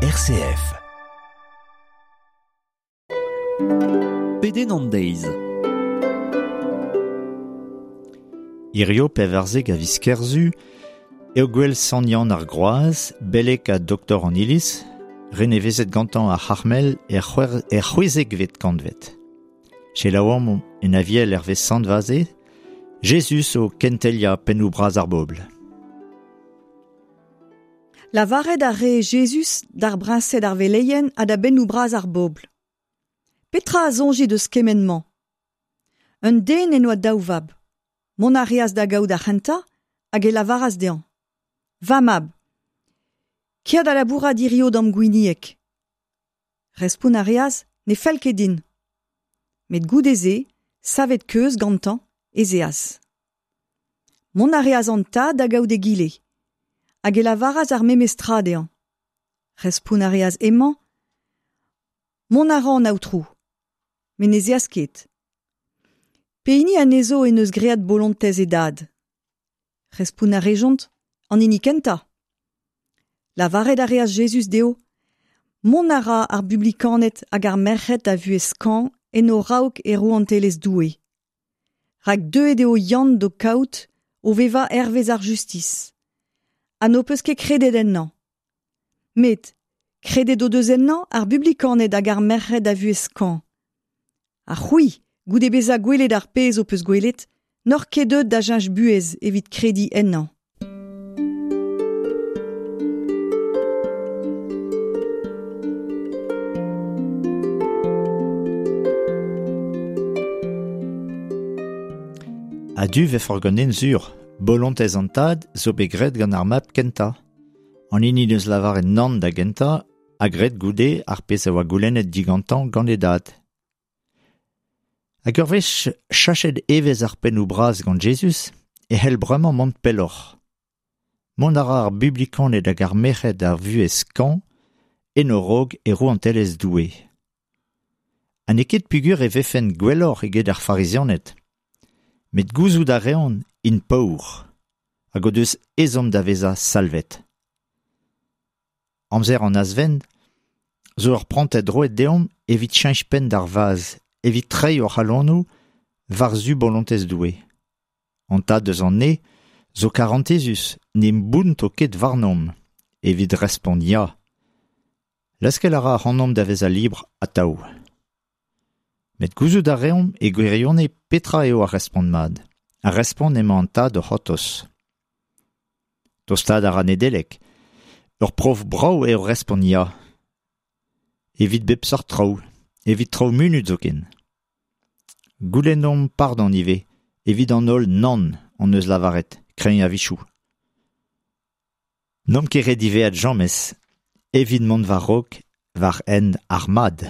RCF. Pedenn an deiz. Hirio pevarzek a viz Kerzu, eo gwell Sant Yann ar Groaz, beleg ha doktor an iliz, renevezet gantañ ar C'harmel er c'hwezekvet kantved. Selaouomp en aviel hervez Sant Vaze, Jezuz o kentelia pennoù bras ar bobl. Lavaret a ree Jezuz d'ar briñsed ar veleien ha da bennoù bras ar bobl. Petra a soñjit eus kement-mañ? Un den en doa daou vab. Mont a reas da gaout ar c'hentañ hag e lavaras dezhañ: Va mab, kea da labourat hirio d'am gwinieg. Respont a reas: Ne fell ket din. Met goude-se, savet keuz gantañ, ez eas. Mont a reas an tad da gaout egile, hag e lavaras ar memes tra dezhañ. Respont a reas hemañ: Mont a ran, aotrou. Met ne zeas ket. Pehini anezho en deus graet bolontez e dad? Respont a rejont: An hini kentañ. Lavaret a reas Jezuz dezho: Mont a ra ar bublikaned hag ar merc'hed a vuhez skañv en o raok e rouantelezh Doue. Rak deuet eo Yann d'ho kaout o vevañ hervez ar justis. Ha n'ho peus ket kredet ennañ. Met kredet o deus ennañ ar bublikaned hag ar merc'hed a vuhez skañv. Ha c'hwi, goude bezañ gwelet ar pezh ho peus gwelet, n'oc'h ket deuet da cheñch buhez evit krediñ ennañ. A-du 'vefoc'h ganin sur, bolontez an tad zo bet graet gant ar mab kentañ. An hini 'neus lavaret nann da gentañ ha graet goude ar pezh a oa goulennet digantañ gant e dad. Hag ur wech chachet evezh ar pennoù bras gant Jezuz e c'hell bremañ mont pelloc'h. Mont a ra ar bublikaned hag ar merc'hed ar vuhez skañv en o raok e rouantelezh Doue. Ha n'eo ket peogwir e vefent gwelloc'h eget ar farizianed. Met gouzout a reont int paour hag o deus ezhomm da vezañ salvet. Amzer an azvent zo ur prantad roet deomp evit cheñch penn d'ar vazh, evit treiñ hor c'halonoù war-zu bolontez Doue. An tad eus an ne zo karantezus, ne bounto ket warnomp evit respont ya. Leskel a ra ac'hanomp da vezañ libr atav. Met gouzout a reomp e gwirionez petra eo ar respont mat. Ar respont emañ an tad o c'hortoz. Tostaat a ra Nedeleg. Ur prof brav eo respont ya. Evit bep seurt traoù, evit traoù munut zoken. Goulennomp pardon ivez, evit an holl nann hon eus lavaret, kreñv a-wechoù. N'omp ket re diwezhat james evit mont war-raok war hent ar mad.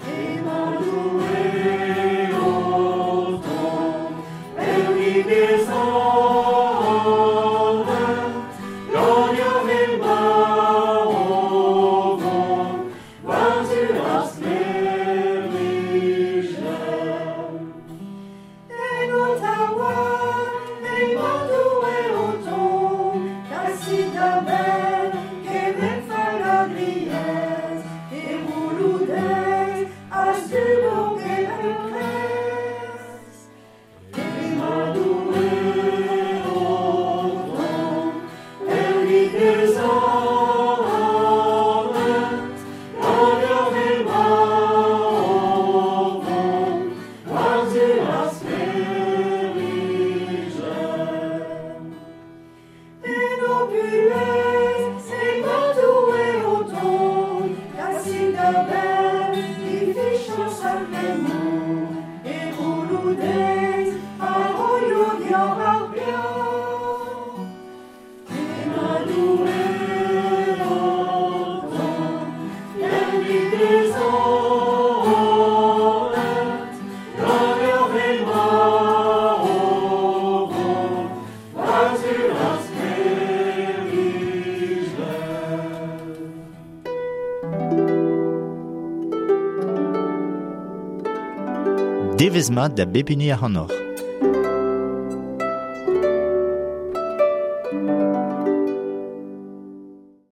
Emañ Doue Devezh mat da bep hini ac'hanoc'h.